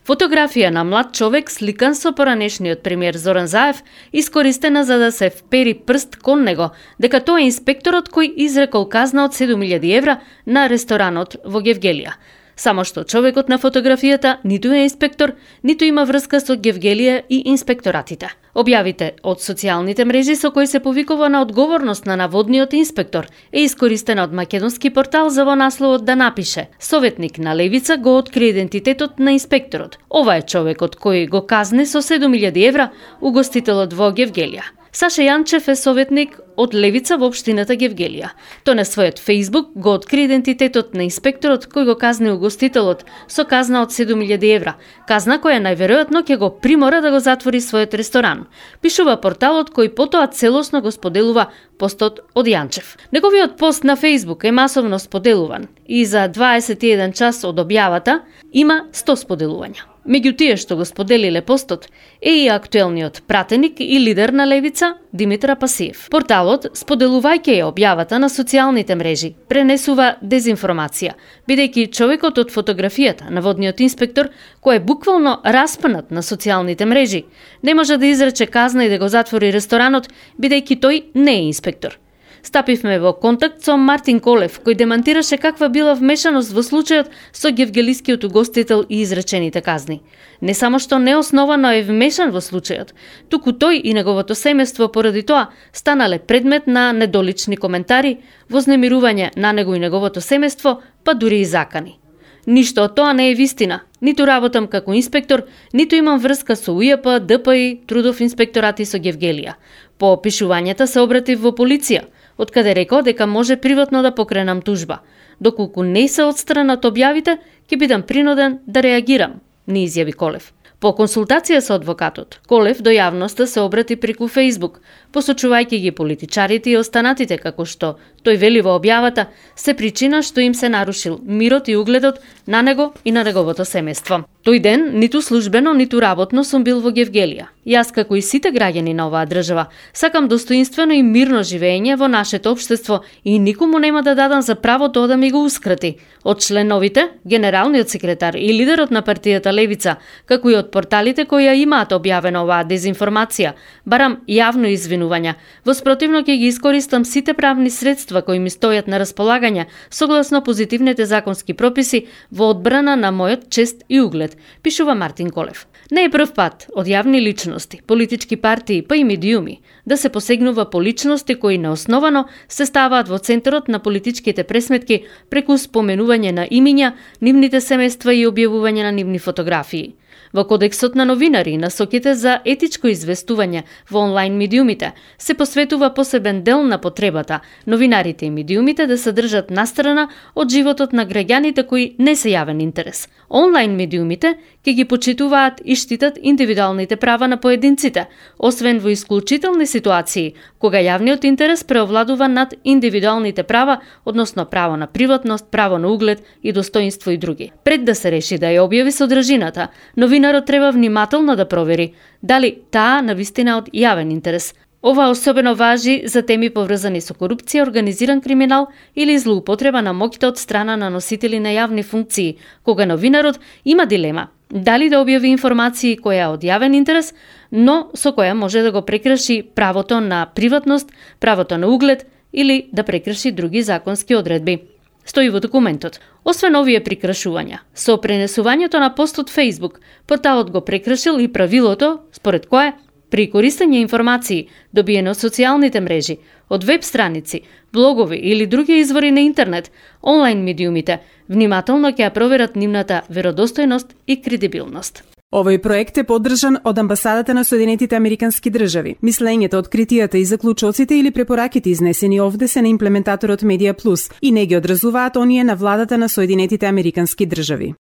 Фотографија на млад човек сликан со поранешниот премиер Зоран Заев искористена за да се впери прст кон него, дека тоа е инспекторот кој изрекол казна од 7.000 евра на ресторанот во Гевгелија. Само што човекот на фотографијата ниту е инспектор, ниту има врска со Гевгелија и инспекторатите. Објавите од социјалните мрежи со кои се повикува на одговорност на наводниот инспектор е искористена од македонски портал за во насловот да напише: советник на Левица го откри идентитетот на инспекторот. Ова е човекот кој го казни со 7.000 евра угостителот во Гевгелија. Саша Јанчев е советник од Левица во општината Гевгелија. Тој на својот Facebook го откри идентитетот на инспекторот кој го казни угостителот со казна од 7.000 евра. Казна која најверојатно ќе го примора да го затвори својот ресторан. Пишува порталот кој потоа целосно го споделува постот од Јанчев. Неговиот пост на Facebook е масовно споделуван и за 21 час од објавата има 100 споделувања. Меѓу тие што го споделиле постот е и актуелниот пратеник и лидер на Левица Димитар Апасиев. Порталот, споделувајќи ја објавата на социјалните мрежи, пренесува дезинформација, бидејќи човекот од фотографијата, наводниот инспектор, кој е буквално распнат на социјалните мрежи, не може да изрече казна и да го затвори ресторанот, бидејќи тој не е инспектор. Стапивме во контакт со Мартин Колев, кој демантираше каква била вмешаност во случајот со гевгелискиот угостител и изречените казни. Не само што неосновано е вмешан во случајот, туку тој и неговото семејство поради тоа станале предмет на недолични коментари, вознемирување на него и неговото семејство, па дури и закани. Ништо од тоа не е вистина. Ниту работам како инспектор, ниту имам врска со УЈП, ДПИ, Трудов инспекторат и со Гевгелија. По опишувањата се обратив во полиција, од каде рекол дека може приватно да покренам тужба. Доколку не се отстранат објавите, ќе бидам принуден да реагирам, ни изјави Колев. По консултација со адвокатот, Колев до јавноста се обрати преку Facebook, посочувајќи ги политичарите и останатите како што тој вели во објавата се причина што им се нарушил мирот и угледот на него и на неговото семејство. Тој ден ниту службено, ниту работно сум бил во Гевгелија. Јас како и сите граѓани на оваа држава сакам достоинствено и мирно живење во нашето општество и никому нема да дадам за право тоа да ми го ускрати. Од членовите, генералниот секретар и лидерот на партијата Левица, како и од порталите кои ја имаат објавена оваа дезинформација, барам јавно извинувања. Во спротивно ќе ги искористам сите правни средства кои ми стојат на располагање согласно позитивните законски прописи во одбрана на мојот чест и углед, пишува Мартин Колев. Не е прв пат од јавни личности, политички партии па и медиуми да се посегнува по личности кои неосновано се ставаат во центарот на политичките пресметки преку споменување на имиња, нивните семејства и објавување на нивни фотографии. Во Кодексот на новинари и насоките за етичко известување во онлайн медиумите се посветува посебен дел на потребата новинарите и медиумите да се држат настрана од животот на граѓаните кои не се јавен интерес. Онлайн медиумите ќе ги почитуваат и штитат индивидуалните права на поединците, освен во исклучителни ситуации, кога јавниот интерес преовладува над индивидуалните права, односно право на приватност, право на углед и достоинство и други. Пред да се реши да ја објави содржината, новинарот треба внимателно да провери дали таа навистина од јавен интерес. Ова особено важи за теми поврзани со корупција, организиран криминал или злоупотреба на моќта од страна на носители на јавни функции, кога новинарот има дилема дали да објави информации која е од јавен интерес, но со која може да го прекрши правото на приватност, правото на углед или да прекрши други законски одредби. Стои во документот. Освен овие прекршувања, со пренесувањето на пост од Facebook, порталот го прекршил и правилото според кое при користење информации добиени од социјалните мрежи, од веб страници, блогови или други извори на интернет, онлайн медиумите внимателно ќе ја проверат нивната веродостојност и кредибилност. Овој проект е поддржан од Амбасадата на Соединетите Американски држави. Мислењето, откритијата и заклучоците или препораките изнесени овде се на имплементаторот Медија Плюс и не ги одразуваат оние на владата на Соединетите Американски држави.